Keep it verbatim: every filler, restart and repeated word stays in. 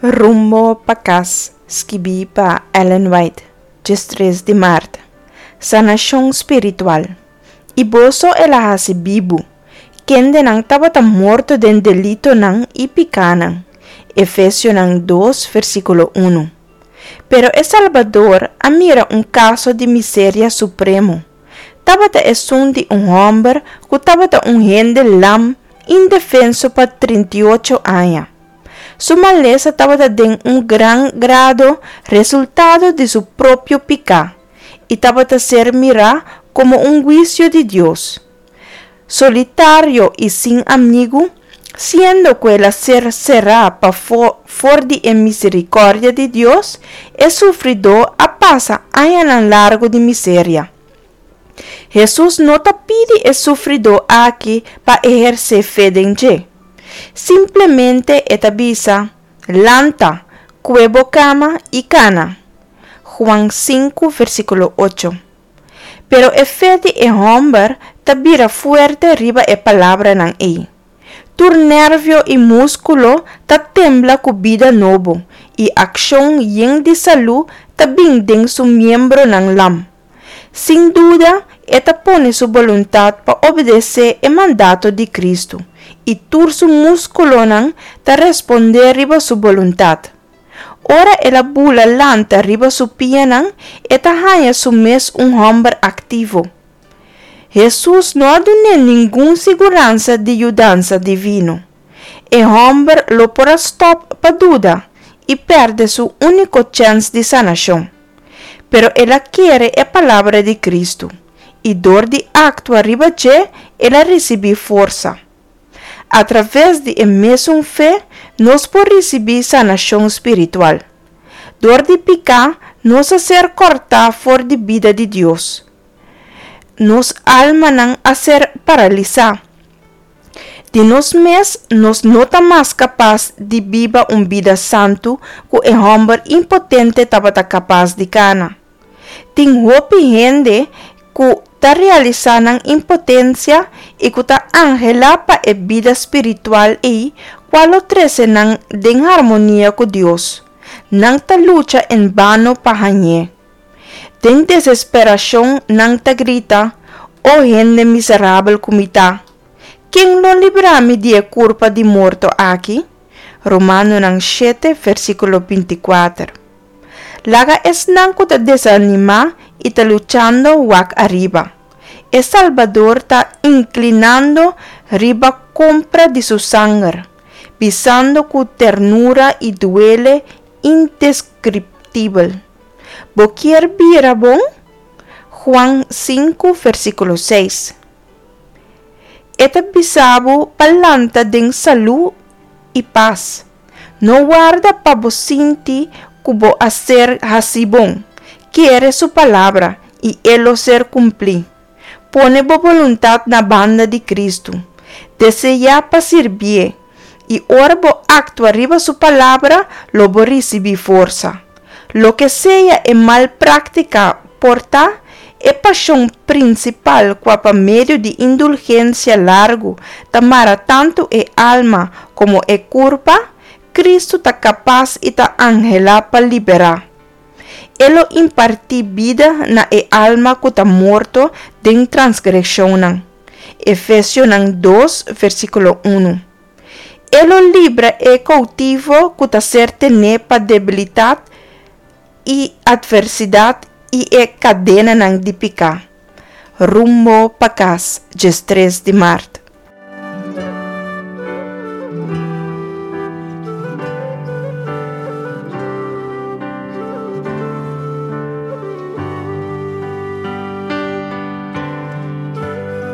Rumbo pa Kas, skibí pa Ellen White, diestres di mart. Sanashon spiritual. I boso el a hasi bibu, kendenan tabata morto den delitonan i pikánan. Efesionan dos, versíkulo un. Pero e Salbador a mira un kaso di miseria supremo. Tabata esun di un hòmber ku tabata un hende lam indefenso pa trinta i ocho aña. Su malesa tabata den un gran grado resultado di su propio piká i tabata ser mirá komo un huisio di Dios. Solitario i sin amigu, siendo ku el a ser será pafó for di e miserikòrdia di Dios, e sufridó a pasa añanan largu di miseria. Hesus no ta pidi e sufridó aki pa ehersé fe den dje. Simplemente e ta bisa, Lanta, kue bo kama i kana. Juan sinku, versíkulo ocho. Pero e fe di e hòmber ta bira fuerte riba e palabranan ei. Tur nervio i múskulo ta tembla ku bida nobo i akshon yen di salú ta bin den su miembronan lam. Sin duda e ta pone su boluntat pa obedesé e mandato di Kristu i tur su múskulonan ta respondé riba su boluntat. Ora el a bula lanta riba su pianan, e ta haña su mes un hòmber aktivo. Hesus no a dun'é ningun siguransa di yudansa divino. E hòmber lo por a stòp pa duda i pèrdè su úniko chèns di sanashon. Pero el a kere e palabra di Kristu, i dor di aktua riba dje el a risibí forsa. Atraves di e mesun fe nos por risibí sanashon spiritual. Dor di piká nos a ser kòrtá for di bida di Dios. Nos almanan a ser paralisá. Di nos mes nos no ta mas kapas di biba un bida santu ku e hòmber impotente tabata kapas di kana. Tin hopi hende ku ta realisá nan impotensia i ku ta anhelá pa e bida spiritual ei kua lo trese nan den harmonia ku Dios. Nan ta lucha en bano pa hañ'é. Den desesperashon nan ta grita, O hende miserabel ku mi ta! Ken lo libra mi di e kurpa di morto aki? Romanonan shete, versíkulo binti kuater. Laga esnan ku ta desanimá i ta luchando wak ariba. E Salbador ta inklinando riba kompra di su sanger, bisando ku ternura i duele indeskriptibel: Bo kier bira bon? Juan sinku, versíkulo seis. E ta bisa bo pa lanta den salú i pas. No warda pa bo sinti ku bo a ser hasí bon. Kere su palabra i e lo ser kumplí. Pone bo boluntat na banda di Kristu. Deseá pa sirbié i ora bo aktua riba su palabra, lo bo risibí forsa. Loke sea e mal práktika por ta, e pashon prinsipal kua pa medio di indulgensia largu ta mara tantu e alma komo e kurpa, Kristu ta kapas i ta anhelá pa liberá. E lo impartí bida na e alma ku ta morto den transgreshonnan. Efesionan dos, versíkulo un. E lo libra e koutivo ku ta ser tené pa debilidat i atversidat i e kadenanan di piká. Rumbo pa Kas, diestres di mart.